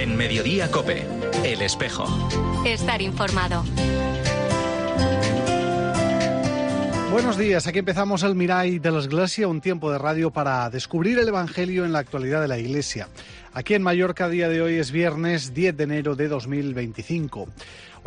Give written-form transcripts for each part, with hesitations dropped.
En Mediodía COPE, El Espejo. Estar informado. Buenos días, aquí empezamos el Mirall de la Iglesia, un tiempo de radio para descubrir el Evangelio en la actualidad de la Iglesia. Aquí en Mallorca, a día de hoy es viernes 10 de enero de 2025.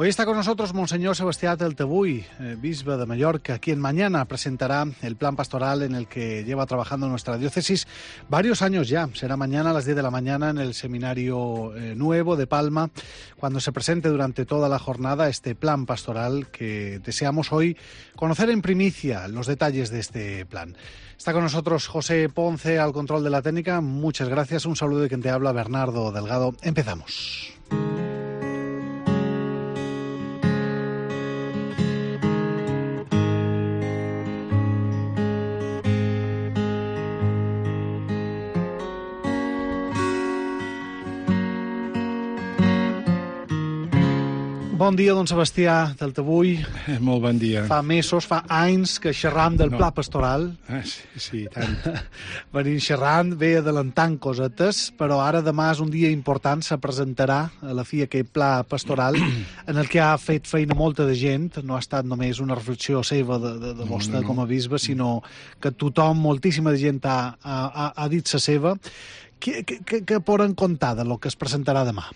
Hoy está con nosotros Monseñor Sebastià Teltebuy, bisbe de Mallorca, quien mañana presentará el plan pastoral en el que lleva trabajando nuestra diócesis varios años ya. Será mañana a las 10 de la mañana en el Seminario Nuevo de Palma, cuando se presente durante toda la jornada este plan pastoral que deseamos hoy conocer en primicia los detalles de este plan. Está con nosotros José Ponce al control de la técnica. Muchas gracias. Un saludo de quien te habla, Bernardo Delgado. Empezamos. Bon dia, don Sebastià Teltebuy. Molt bon dia. Fa mesos, fa anys que xerram del pla pastoral. Sí, tant. Venim xerrant, ve adelantant cosetes, però ara demà és un dia important, se presentarà a la fi aquest pla pastoral en el que ha fet feina molta de gent, no ha estat només una reflexió seva de vostè com a bisbe, sinó que tothom, moltíssima de gent ha dit la seva. Què poden contar de lo que es presentarà demà?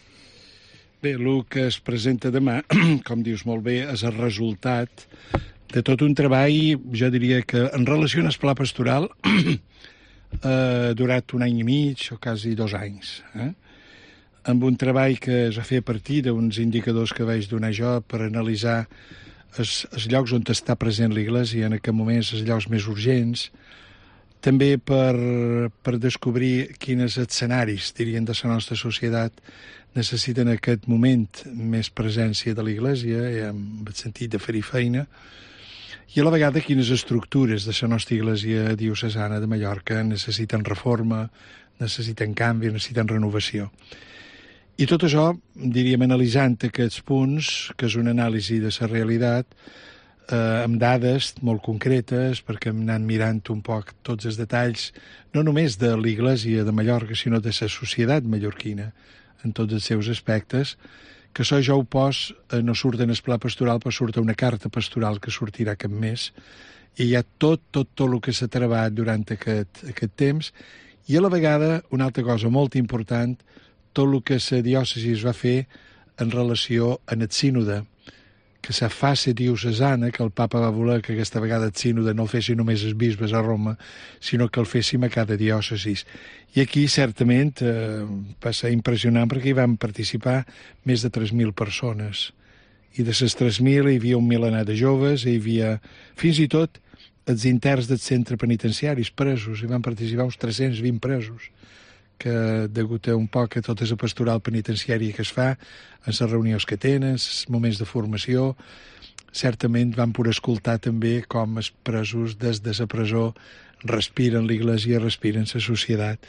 Bé, el que es presenta demà, com dius molt bé, és el resultat de tot un treball, jo diria que en relació amb el pla pastoral ha durat un any i mig o quasi 2 anys, amb un treball que es va fer a partir d'uns indicadors que vaig donar jo per analitzar els llocs on està present l'Església, en aquest moment els llocs més urgents, també per descobrir quins escenaris, dirien, de la nostra societat necessiten en aquest moment més presència de l'Església, en el sentit de fer-hi feina, i a la vegada quines estructures de la nostra Església diocesana de Mallorca necessiten reforma, necessiten canvi, necessiten renovació. I tot això, diríem, analitzant aquests punts, que és una anàlisi de la realitat, amb dades molt concretes, perquè hem anat mirant un poc tots els detalls, no només de l'Església de Mallorca, sinó de la societat mallorquina, en tots els seus aspectes, que això jo ho pos, no surt en el pla pastoral, però surt una carta pastoral que sortirà aquest mes, i hi ha tot el que s'ha treballat durant aquest temps, i a la vegada, una altra cosa molt important, tot el que la diòcesi va fer en relació amb el sínode, que la fase diocesana, que el papa va voler que aquesta vegada el sínode no el fessin només els bisbes a Roma, sinó que el féssim a cada diòcesis. I aquí, certament, va ser impressionant perquè hi van participar més de 3.000 persones. I de les 3.000 hi havia un milenar de joves, hi havia fins i tot els interns del centre penitenciaris presos, hi van participar uns 320 presos, que degut a un poc a tota la pastoral penitenciària que es fa, en les reunions que tenen, els moments de formació, certament van poder escoltar també com els presos des de la presó respiren l'Església, respiren la societat.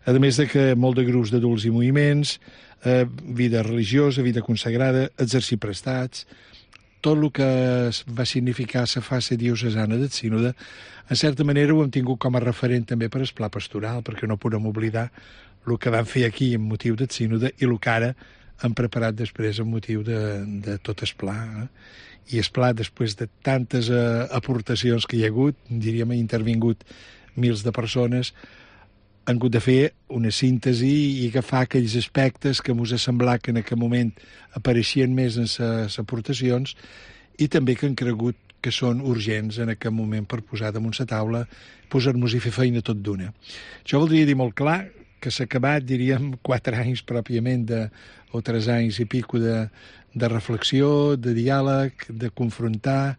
A més de que molt de grups d'adults i moviments, vida religiosa, vida consagrada, exercir prestats, tot el que va significar la fase diocesana del sínode, en certa manera ho hem tingut com a referent també per al pla pastoral, perquè no podem oblidar el que van fer aquí en motiu del sínode i el que ara han preparat després en motiu de tot el pla. I el pla, després de tantes aportacions que hi ha hagut, diríem, ha intervingut mils de persones, han hagut de fer una síntesi i agafar aquells aspectes que ens ha semblat que en aquest moment apareixien més en les aportacions i també que han cregut que són urgents en aquest moment per posar damunt la taula, posar-nos i fer feina tot d'una. Això voldria dir molt clar que s'ha acabat, diríem, 4 anys pròpiament, o 3 anys i pico de reflexió, de diàleg, de confrontar,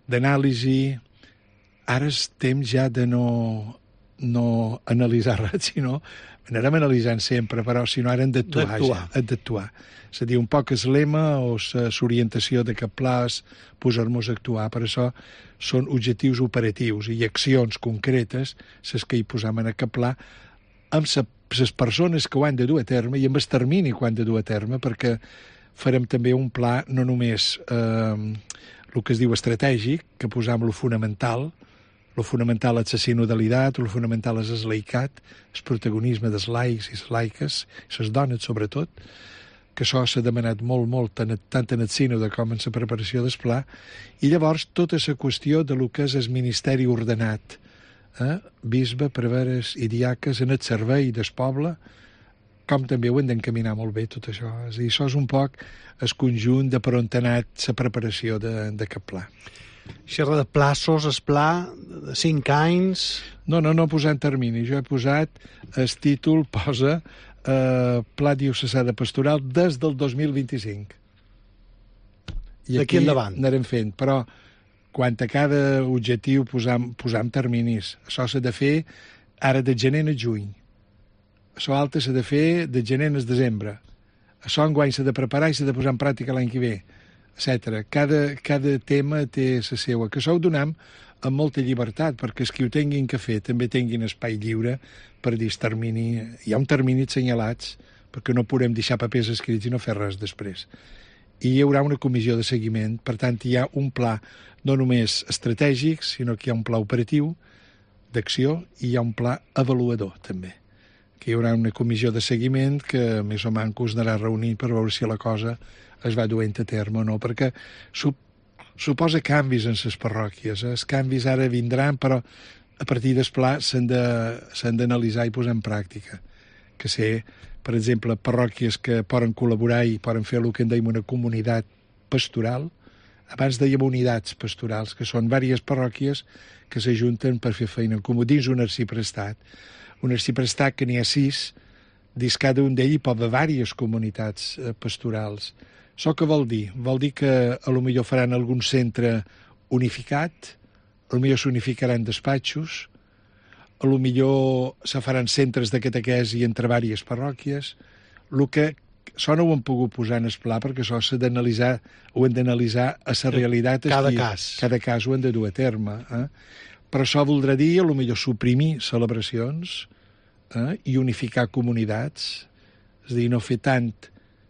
d'anàlisi. Ara és temps ja de no analitzar res, sinó anarem analitzant sempre, però si no ara hem d'actuar. És a dir, un poc el lema o l'orientació d'aquest pla és posar-nos a actuar. Per això són objectius operatius i accions concretes les que hi posam en aquest pla amb les persones que ho han de dur a terme i amb el termini que ho han de dur a terme, perquè farem també un pla no només el que es diu estratègic, que posam lo fonamental és la sinodalitat, lo fonamental és el laicat, el protagonisme dels laics i les laiques, les dones sobretot, que això s'ha demanat molt, tant en el sínode com en la preparació del pla, i llavors tota la qüestió de lo que és el ministeri ordenat, bisbe, preveres i diaques en el servei del poble, com també ho hem d'encaminar molt bé, tot això. És a dir, això és un poc el conjunt de per on ha anat la preparació d'aquest pla. Xerra de plaços, el pla de 5 anys... No posant termini. Jo he posat, el títol posa Pla Diocesà de Pastoral des del 2025. I d'aquí endavant. Anarem fent, però quant a cada objectiu posam terminis. Això s'ha de fer ara de gener a juny. Això altre s'ha de fer de gener a desembre. Això enguany s'ha de preparar i s'ha de posar en pràctica l'any que ve, etc. Cada tema té la seva. Que això ho donem amb molta llibertat, perquè els que ho tinguin que fer també tinguin espai lliure per dir termini. Hi ha un termini assenyalats, perquè no podem deixar papers escrits i no fer res després. I hi haurà una comissió de seguiment, per tant hi ha un pla no només estratègic, sinó que hi ha un pla operatiu d'acció i hi ha un pla avaluador també, que hi haurà una comissió de seguiment que més o manco es anarà reunint per veure si la cosa es va duent a terme o no, perquè suposa canvis en les parròquies. Els canvis ara vindran, però a partir del pla s'han d'analitzar i posar en pràctica. Que sé, per exemple, parròquies que poden col·laborar i poden fer el que en deim una comunitat pastoral. Abans dèiem unitats pastorals, que són diverses parròquies que s'ajunten per fer feina en comú dins un arciprestat. Un arciprestat que n'hi ha 6, dins cada un d'ells hi pot haver diverses comunitats pastorals. Això què vol dir? Vol dir que a lo millor faran algun centre unificat, a lo millor s'unificaran despatxos, a lo millor se faran centres de catequesi entre diverses parròquies. El que això no ho hem pogut posar en el pla perquè això s'ha d'analitzar, ho hem d'analitzar a la realitat. Cada cas. Cada cas ho hem de dur a terme. Però això voldrà dir, a lo millor, suprimir celebracions i unificar comunitats. És a dir, no fer tant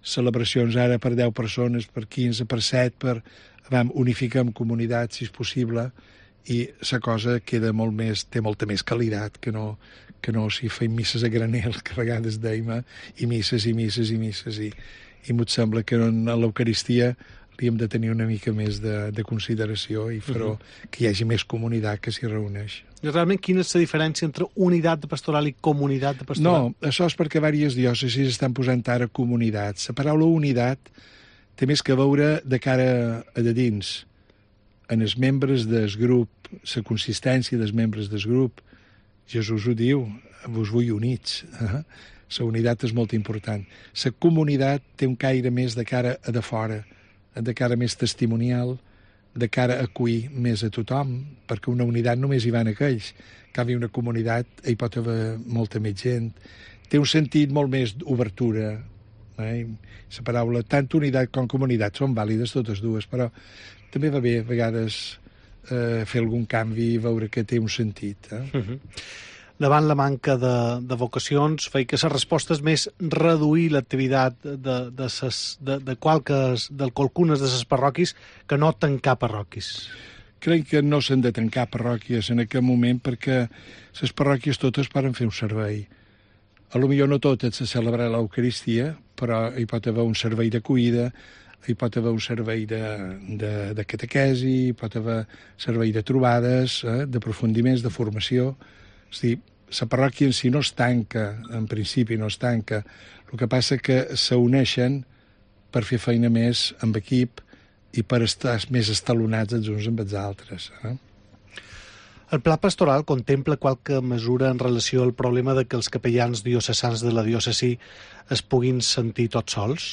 celebracions ara per 10 persones, per 15, per 7, unificar comunitats, si és possible, i la cosa queda té molta més qualitat que no si feim misses a granel, que a vegades deim, i misses, i m'ho sembla que en l'Eucaristia li hem de tenir una mica més de consideració i fer que hi hagi més comunitat que s'hi reuneix. I realment, quina és la diferència entre unitat de pastoral i comunitat de pastoral? No, això és perquè diverses diòcesis estan posant ara comunitats. La paraula unitat té més que veure de cara a de dins. En els membres del grup, la consistència dels membres del grup, Jesús ho diu, vos vull units. La unitat és molt important. La comunitat té un caire més de cara a de fora, de cara més testimonial, de cara a acollir més a tothom, perquè una unitat només hi van aquells. En canvi, una comunitat hi pot haver molta més gent. Té un sentit molt més d'obertura. La paraula, tant unitat com comunitat, són vàlides totes dues, però també va bé a vegades fer algun canvi i veure que té un sentit. Davant la manca de vocacions, feia que la resposta és més reduir l'activitat de qualcunes de les parròquies que no tancar parròquies. Crec que no s'han de tancar parròquies en aquest moment perquè les parròquies totes poden fer un servei. A lo millor no totes se celebra l'Eucaristia, però hi pot haver un servei d'acollida, hi pot haver un servei de catequesi, hi pot haver servei de trobades, d'aprofundiments, de formació. És a dir, la parròquia en si no es tanca, en principi no es tanca. El que passa que s'uneixen per fer feina més amb equip i per estar més estalonats els uns amb els altres. El pla pastoral contempla qualque mesura en relació al problema de que els capellans diocesans de la diòcesi es puguin sentir tots sols?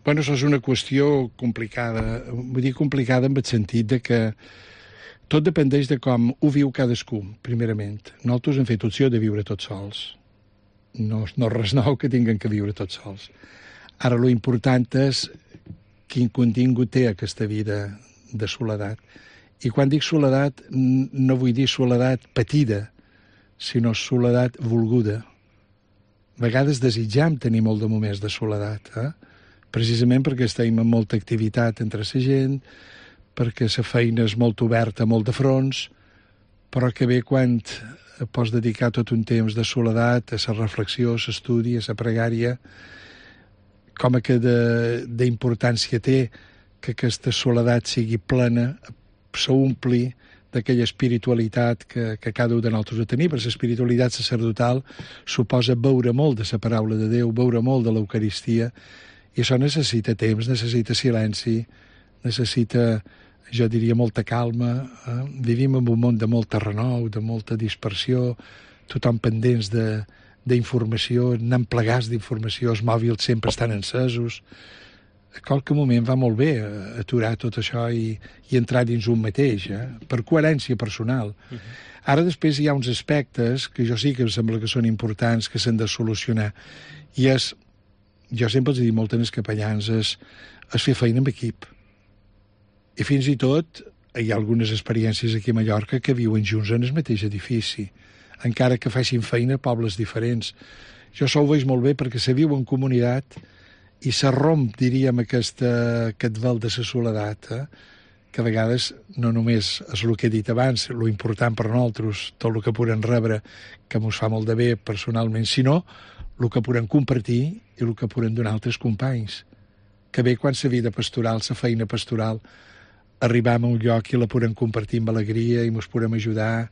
Bueno, això és una qüestió complicada. Vull dir complicada en el sentit de que tot dependeix de com ho viu cadascú, primerament. Nosaltres hem fet opció de viure tots sols. No res nou que tinguem que viure tots sols. Ara, lo important és quin contingut té aquesta vida de soledat. I quan dic soledat, no vull dir soledat patida, sinó soledat volguda. A vegades desitjam tenir molt de moments de soledat, precisament perquè estem amb molta activitat entre la gent, perquè la feina és molt oberta, molt de fronts, però que bé quan pots dedicar tot un temps de soledat a la reflexió, a l'estudi, a la pregària, com a que d'importància té que aquesta soledat sigui plena, s'ompli d'aquella espiritualitat que cada un de nosaltres ha tenir, perquè l'espiritualitat sacerdotal suposa veure molt de la paraula de Déu, veure molt de l'Eucaristia, i això necessita temps, necessita silenci, necessita, jo diria, molta calma. Vivim en un món de molt renou, de molta dispersió, tothom pendents d'informació, anant plegats d'informació, els mòbils sempre estan encesos. A qualque moment va molt bé aturar tot això i entrar dins un mateix, per coherència personal. Ara després hi ha uns aspectes que jo sí que em sembla que són importants, que s'han de solucionar, i és, jo sempre els he dit molt als capellans, és fer feina en equip. I fins i tot hi ha algunes experiències aquí a Mallorca que viuen junts en el mateix edifici, encara que facin feina a pobles diferents. Jo això ho veig molt bé perquè se viu en comunitat i se romp, diríem, aquest vel de la soledat, que a vegades no només és el que he dit abans, lo important per nosaltres, tot el que podem rebre, que mos fa molt de bé personalment, sinó el que podem compartir i el que podem donar altres companys. Que bé quan la vida pastoral, la feina pastoral, arribam a un lloc i la podem compartir amb alegria i mos podem ajudar,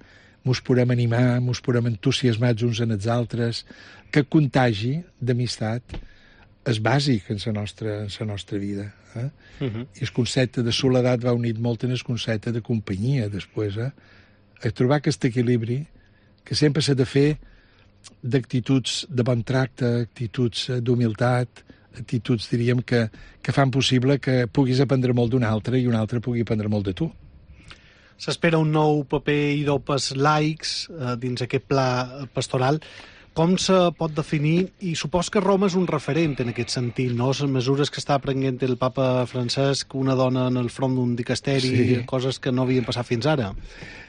mos podem animar, mos podem entusiasmar uns en els altres, que contagi d'amistat és bàsic en la nostra vida. I el concepte de soledat va unit molt en el concepte de companyia després. A trobar aquest equilibri que sempre s'ha de fer d'actituds de bon tracte, actituds d'humilitat, actituds, diríem, que fan possible que puguis aprendre molt d'un altre i un altre pugui aprendre molt de tu. S'espera un nou paper i dopes laics dins aquest pla pastoral. Com se pot definir? I supos que Roma és un referent en aquest sentit, no? Les mesures que està prenent el papa Francesc, una dona en el front d'un dicasteri, sí. Coses que no havien passat fins ara.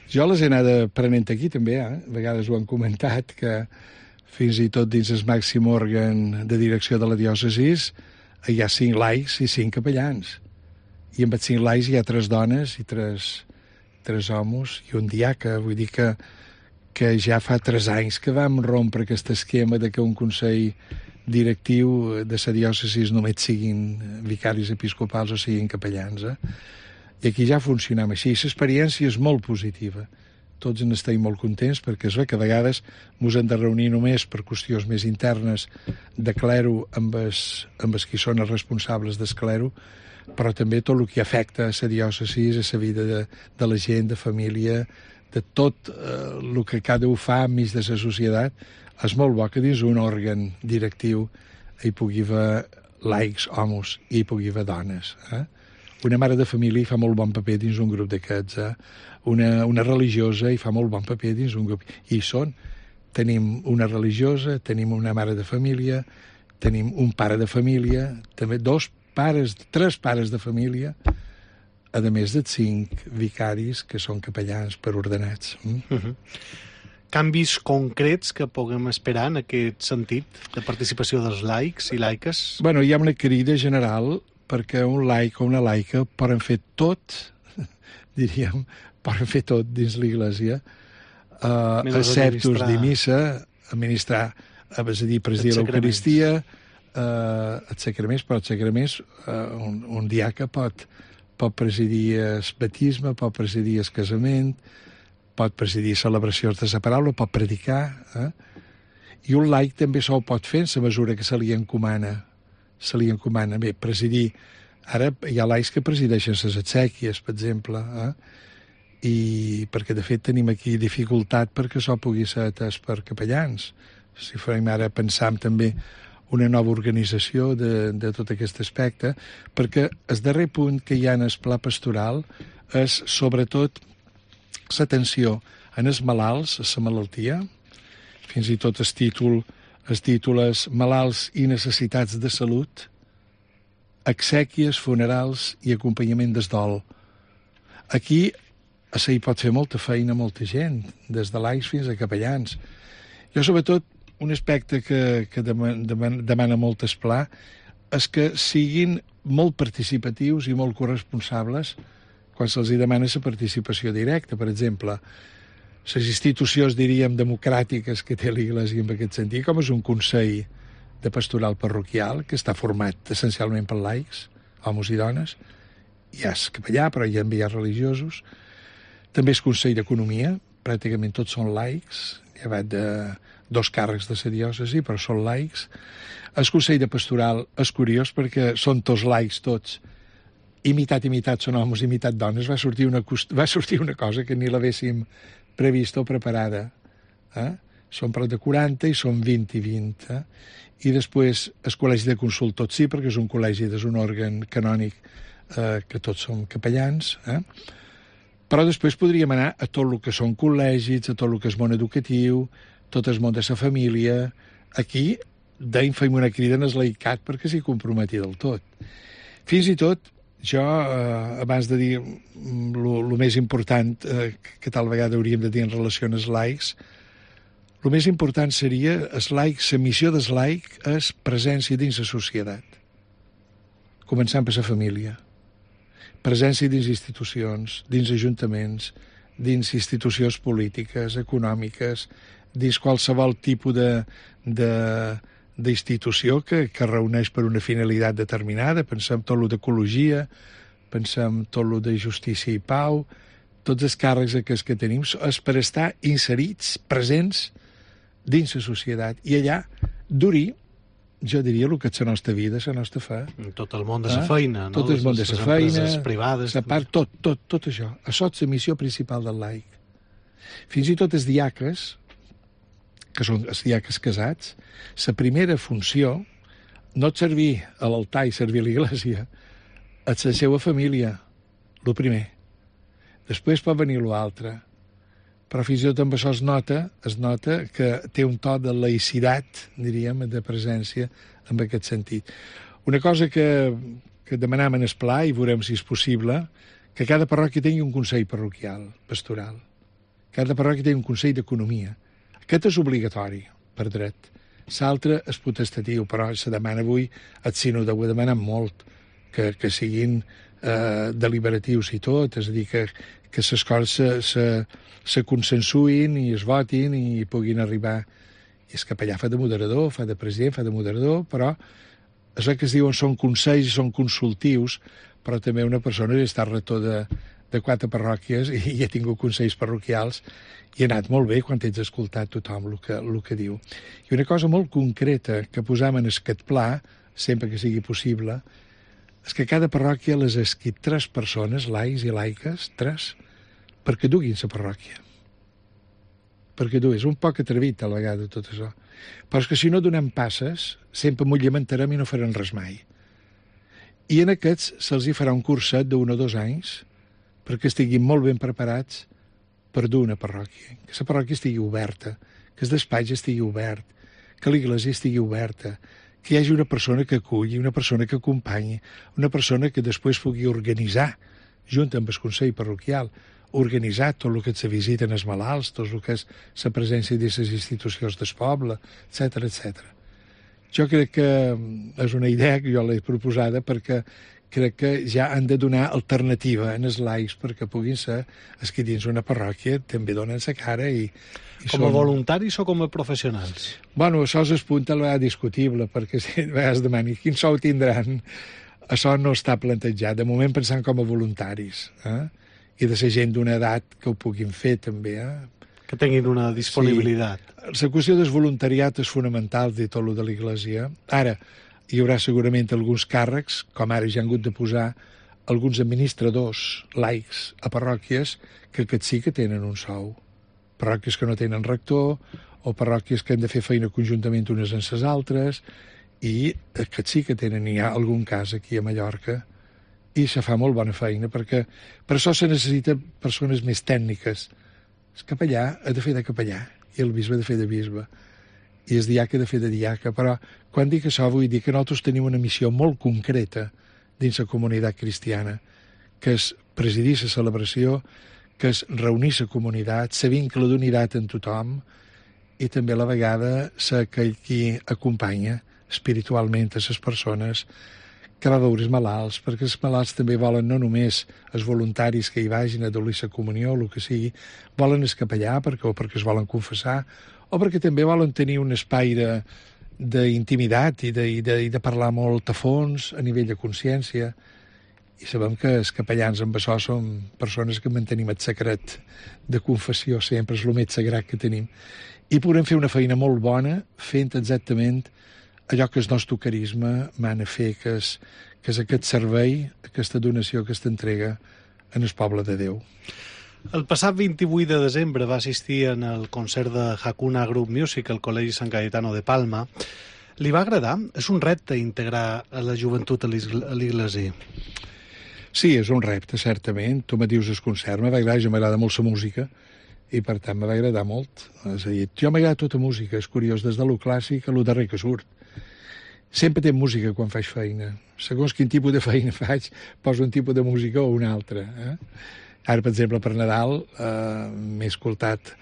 Jo les he anat prenent aquí també, A vegades ho han comentat, que fins i tot dins el màxim òrgan de direcció de la diòcesis hi ha 5 laics i 5 capellans. I amb els 5 laics hi ha 3 dones i 3 homes i un diaca. Vull dir que ja fa 3 anys que vam rompre aquest esquema de que un consell directiu de la diòcesis només siguin vicaris episcopals o siguin capellans. I aquí ja funcionam així. L'experiència és molt positiva. Tots en estem molt contents perquè és bé que a vegades ens hem de reunir només per qüestions més internes de clero amb els qui són els responsables del clero, però també tot el que afecta a la diòcesis, a la vida de la gent, de família, de tot el que cada un fa enmig de la societat. És molt bo que dins un òrgan directiu hi pugui haver laics, homes, i hi pugui haver dones. Una mare de família hi fa molt bon paper dins un grup d'aquests. Una religiosa hi fa molt bon paper dins un grup. I són. Tenim una religiosa, tenim una mare de família, tenim un pare de família, també 3 pares de família, a més de 5 vicaris que són capellans per ordenats. Canvis concrets que puguem esperar en aquest sentit de participació dels laics i laiques? Bueno, hi ha una crida general perquè un laic o una laica poden fer tot, diríem, poden fer tot dins l'Església, exceptus de missa, administrar, és a dir, presidir l'Eucaristia, els sacraments, però els sacraments, un diaca pot presidir el batisme, pot presidir el casament, pot presidir celebracions de la paraula, pot predicar, i un laic també ho pot fer en la mesura que se li encomana. Bé, presidir. Ara hi ha laics que presideixen les exèquies, per exemple, i perquè de fet tenim aquí dificultat perquè això pugui ser atès per capellans. Si farem ara pensam també una nova organització de tot aquest aspecte, perquè el darrer punt que hi ha en el pla pastoral és sobretot l'atenció en els malalts, a la malaltia, fins i tot el títol és malalts i necessitats de salut, exèquies, funerals i acompanyament del dol. Aquí hi pot fer molta feina molta gent, des de laics fins a capellans. Jo, sobretot, un aspecte que demana molt el pla és que siguin molt participatius i molt corresponsables quan se'ls demana la participació directa. Per exemple, les institucions, diríem, democràtiques que té l'Església en aquest sentit, com és un consell de pastoral parroquial, que està format essencialment per laics, homes i dones. Hi ha capellà, però hi ha enviats religiosos. També és Consell d'Economia, pràcticament tots són laics, llevat de 2 càrrecs de la diòcesi, però són laics. El Consell de Pastoral és curiós perquè són tots laics, tots, i mitat són homes i mitat dones. Va sortir una cosa que ni l'haguéssim prevista o preparada. Són prop de 40 i són 20 i 20. I després el Col·legi de Consultors sí, perquè és un col·legi, és un òrgan canònic que tots som capellans. Però després podríem anar a tot el que són col·legis, a tot el que és món educatiu, tot el món de la família. Aquí d'ahir fem una crida en el laicat perquè s'hi comprometi del tot. Fins i tot, jo, abans de dir el més important que tal vegada hauríem de dir en relació als laics, el més important seria la missió del laic és presència dins la societat, començant per la família, presència dins institucions, dins ajuntaments, dins institucions polítiques, econòmiques, dins qualsevol tipus d'institució que reuneix per una finalitat determinada. Pensem tot el d'ecologia, pensem tot el de justícia i pau, tots els càrrecs aquests que tenim és per estar inserits, presents dins la societat, i allà durir, jo diria, el que és la nostra vida, la nostra fe. Tot el món de la feina, no? Tot el món de la feina, privades, la part, tot això. Això és la missió principal del laic. Fins i tot els diaques, que són els diaques casats, la primera funció no és servir a l'altar i servir a l'església, és la seva família, el primer. Després pot venir l'altre. Però fins i tot amb això es nota que té un to de laïcitat, diríem, de presència en aquest sentit. Una cosa que demanam en el pla, i veurem si és possible, que cada parròquia tingui un consell parroquial, pastoral. Cada parròquia tingui un consell d'economia. Aquest és obligatori, per dret. L'altre és potestatiu, però se demana avui, el sínode ho ha demanat molt, que siguin deliberatius i tot, és a dir, que les coses se consensuïn i es votin i puguin arribar. I el capellà fa de moderador, fa de president, fa de moderador, però això que es diuen són consells i són consultius, però també una persona està rector de 4 parròquies i ha tingut consells parroquials i ha anat molt bé quan tens escoltat tothom el que diu. I una cosa molt concreta que posam en aquest pla, sempre que sigui possible, és que cada parròquia les ha escrit 3 persones, laics i laiques, 3, perquè duguin la parròquia. Perquè duguin. És un poc atrevit, a la vegada, tot això. Però és que si no donem passes, sempre m'ho lamentarem i no faran res mai. I en aquests se'ls hi farà un curset d'1 o 2 anys perquè estiguin molt ben preparats per dur una parròquia. Que la parròquia estigui oberta, que el despatx estigui obert, que l'església estigui oberta, que hi hagi una persona que aculli, una persona que acompanyi, una persona que després pugui organitzar, junt amb el Consell Parroquial, organitzar tot el que se visiten els malalts, tot el que és la presència de les institucions del poble, etc etc. Jo crec que és una idea que jo l'he proposada perquè crec que ja han de donar alternativa en els laics perquè puguin ser els que dins una parròquia també donen la cara i com a voluntaris o com a professionals? Bueno, això és el punt a la vegada discutible, perquè si a vegades demani quin sou tindran, això no està plantejat. De moment pensant com a voluntaris, i de ser gent d'una edat que ho puguin fer també. Que tinguin una disponibilitat. Sí. La qüestió del voluntariat és fonamental de tot el de l'Església. Ara, hi haurà segurament alguns càrrecs, com ara ja han hagut de posar alguns administradors laics a parròquies, que aquests sí que tenen un sou. Parròquies que no tenen rector, o parròquies que han de fer feina conjuntament unes amb les altres, i aquests sí que tenen, hi ha algun cas aquí a Mallorca, i se fa molt bona feina, perquè per això se necessiten persones més tècniques. El capellà ha de fer de capellà, i el bisbe ha de fer de bisbe, i el diaca ha de fer de diaca, però quan dic això vull dir que nosaltres tenim una missió molt concreta dins la comunitat cristiana, que és presidir la celebració, que és reunir la comunitat, ser vincle d'unitat en tothom, i també a la vegada ser aquell qui acompanya espiritualment a les persones que va veure els malalts, perquè els malalts també volen no només els voluntaris que hi vagin a donar la comunió, o el que sigui, volen el capellà perquè es volen confessar, o perquè també volen tenir un espai d'intimitat i de parlar molt a fons a nivell de consciència. I sabem que els capellans amb això són persones que mantenim el secret de confessió, sempre és el més sagrat que tenim. I podem fer una feina molt bona fent exactament allò que el nostre carisma mana fer, que és aquest servei, aquesta donació, aquesta entrega en el poble de Déu. El passat 28 de desembre va assistir en el concert de Hakuna Group Music al Col·legi Sant Cayetano de Palma. Li va agradar? És un repte integrar a la joventut a l'Iglésia. Sí, és un repte, certament. Tu me dius el concert, jo m'agrada molt la música, i per tant me va agradar molt. És a dir, jo m'agrada tota música, és curiós, des de lo clàssic a lo darrer que surt. Sempre té música quan faig feina. Segons quin tipus de feina faig, poso un tipus de música o un altre. Ara, per exemple, per Nadal m'he escoltat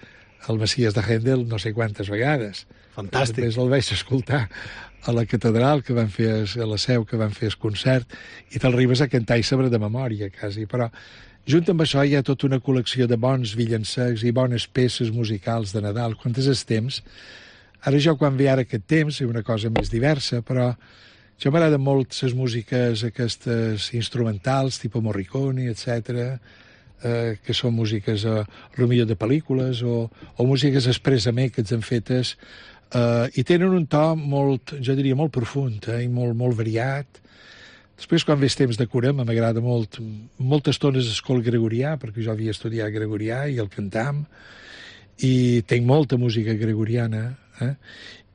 el Messies de Händel no sé quantes vegades. Fantàstic. Després el vaig escoltar a la catedral, que van fer a la Seu, que van fer el concert, i t'arribes a cantar i saber de memòria, quasi. Però, junt amb això, hi ha tota una col·lecció de bons villensecs i bones peces musicals de Nadal. Quan és el temps? Ara jo, quan ve ara aquest temps, és una cosa més diversa, però jo m'agraden molt les músiques aquestes instrumentals, tipus Morricone, etc., que són músiques potser de pel·lícules o músiques expressament que han fetes i tenen un to molt, jo diria, molt profund i molt variat. Després, quan ve temps de curem, m'agrada molt, moltes estones escola gregorià, perquè jo havia estudiat gregorià i el cantam, i tinc molta música gregoriana,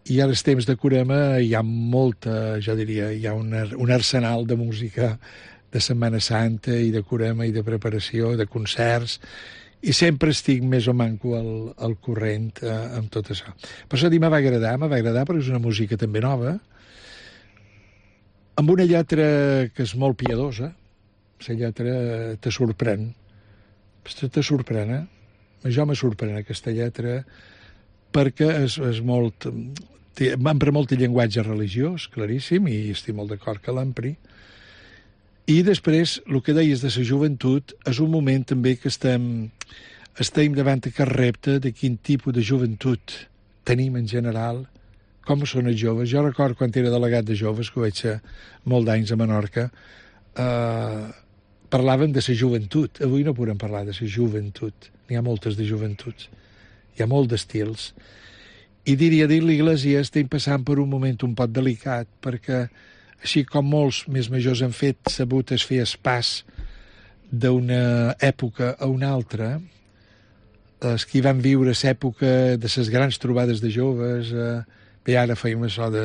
i als temps de curema hi ha molta, jo diria, hi ha un arsenal de música de Setmana Santa i de curema i de preparació, de concerts, i sempre estic més o manco al corrent amb tot això. Per això me va agradar perquè és una música també nova, amb una lletra que és molt piadosa. La lletra te sorprèn. Te sorprèn, Jo me sorprèn aquesta lletra perquè és molt... Empra molt el llenguatge religiós, claríssim, i estic molt d'acord que l'empri. I després, el que deies de la joventut, és un moment també que estem davant aquest repte de quin tipus de joventut tenim en general, com són els joves. Jo recordo quan era delegat de joves, que ho vaig ser molt d'anys a Menorca, parlàvem de la joventut. Avui no podem parlar de la joventut. N'hi ha moltes de joventuts. Hi ha molt d'estils. I diria dir, l'Iglésia estem passant per un moment un poc delicat, perquè així com molts més majors han sabut fer el pas d'una època a una altra, els que van viure l'època de les grans trobades de joves, bé, ara feim això de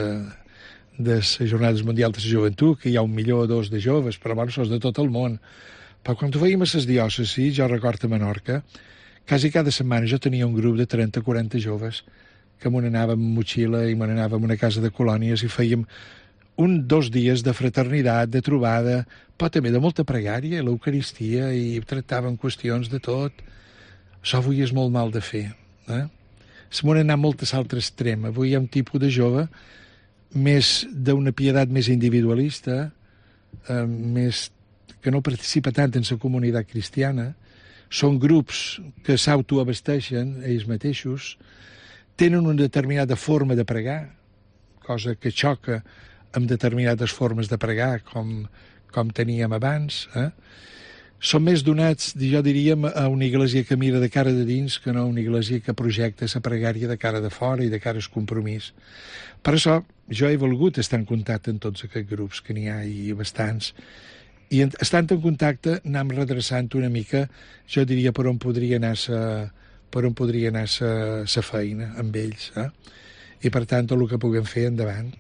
les Jornades Mundials de la Joventut, que hi ha 1 milió o 2 de joves, però bueno, són de tot el món. Però quan ho fèiem a les diòcesis, jo recordo a Menorca, quasi cada setmana jo tenia un grup de 30 o 40 joves que me n'anàvem amb motxilla i me n'anàvem a una casa de colònies i fèiem 2 dies de fraternitat, de trobada, però també de molta pregària, l'Eucaristia, i tractàvem qüestions de tot. Això avui és molt mal de fer. Se m'han anat molt a l'altre extrem. Avui hi ha un tipus de jove més d'una pietat més individualista, més que no participa tant en la comunitat cristiana. Són grups que s'autoabasteixen ells mateixos, tenen una determinada forma de pregar, cosa que xoca amb determinades formes de pregar com teníem abans. Són més donats, jo diríem, a una iglesia que mira de cara de dins que no a una iglesia que projecta la pregària de cara de fora i de cara al compromís. Per això jo he volgut estar en contacte amb tots aquests grups, que n'hi ha i bastants, i estant en contacte anem redreçant una mica, jo diria, per on podria anar la feina amb ells. I per tant, tot el que puguem fer endavant.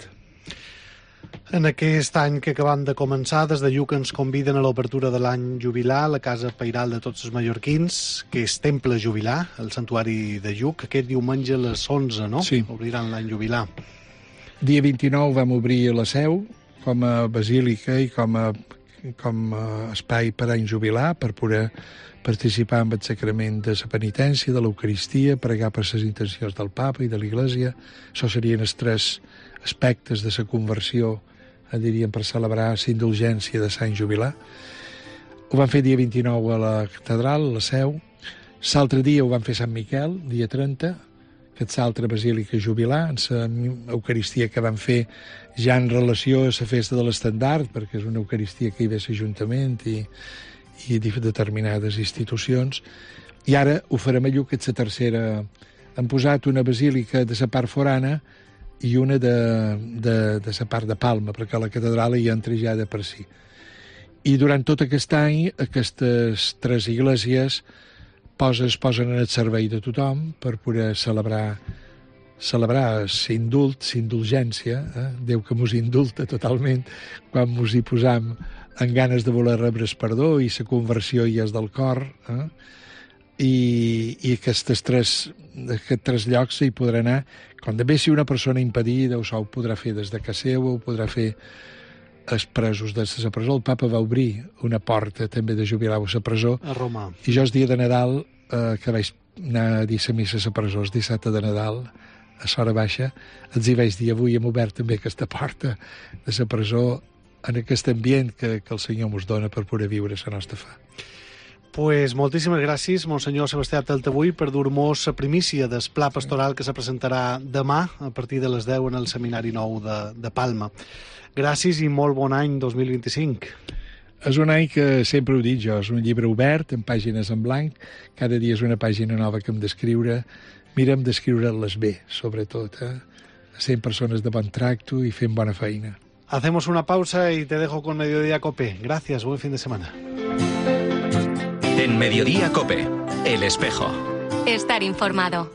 En aquest any que acabam de començar, des de Lluc ens conviden a l'obertura de l'any jubilar a la Casa Pairal de tots els mallorquins, que és Temple Jubilar, el santuari de Lluc. Aquest diumenge a les 11, no? Sí. Obriran l'any jubilar. Dia 29 vam obrir la Seu com a basílica i com a espai per any jubilar, per poder participar en el sacrament de la penitència, de l'Eucaristia, pregar per les intencions del Papa i de l'Iglésia. Això serien els 3 aspectes de la conversió, diríem, per celebrar la indulgència de Sant Jubilar. Ho vam fer dia 29 a la catedral, a la Seu. L'altre dia ho vam fer a Sant Miquel, dia 30, aquesta altra basílica jubilar, en la Eucaristia que van fer ja en relació a la festa de l'estandard, perquè és una Eucaristia que hi ve l'Ajuntament i determinades institucions, i ara ho farem a Lluc, que és la tercera. Han posat una basílica de la part forana i una de la part de Palma, perquè la catedral hi entra ja de per si. I durant tot aquest any, aquestes 3 esglésies es posen en el servei de tothom per poder celebrar l'indulgència, Déu que mos indulta totalment quan mos hi posam en ganes de voler rebre el perdó i la conversió ja és del cor, i aquests 3 llocs hi podrà anar. Quan també si una persona impedida ho podrà fer des de casa seva, ho podrà fer els presos de la presó. El papa va obrir una porta també de jubilar a la presó. A Roma. I jo el dia de Nadal, que vaig anar a dir la missa a la presó, el dissabte de Nadal, a l'hora baixa, els hi vaig dir, avui hem obert també aquesta porta de la presó en aquest ambient que el Senyor ens dona per poder viure la nostra fe. Pues moltíssimes gràcies, Monsenyor Sebastià Taltabull, per dur-nos la primícia del pla pastoral que se presentarà demà a partir de les 10 en el Seminari Nou de Palma. Gràcies i molt bon any 2025. És un any que sempre ho dic jo, és un llibre obert, amb pàgines en blanc, cada dia és una pàgina nova que hem d'escriure, mirem d'escriure-les bé, sobretot, sent persones de bon tracto i fent bona feina. Hacemos una pausa y te dejo con Mediodía Cope. Gracias, buen fin de semana. En Mediodía Cope, El Espejo. Estar informado.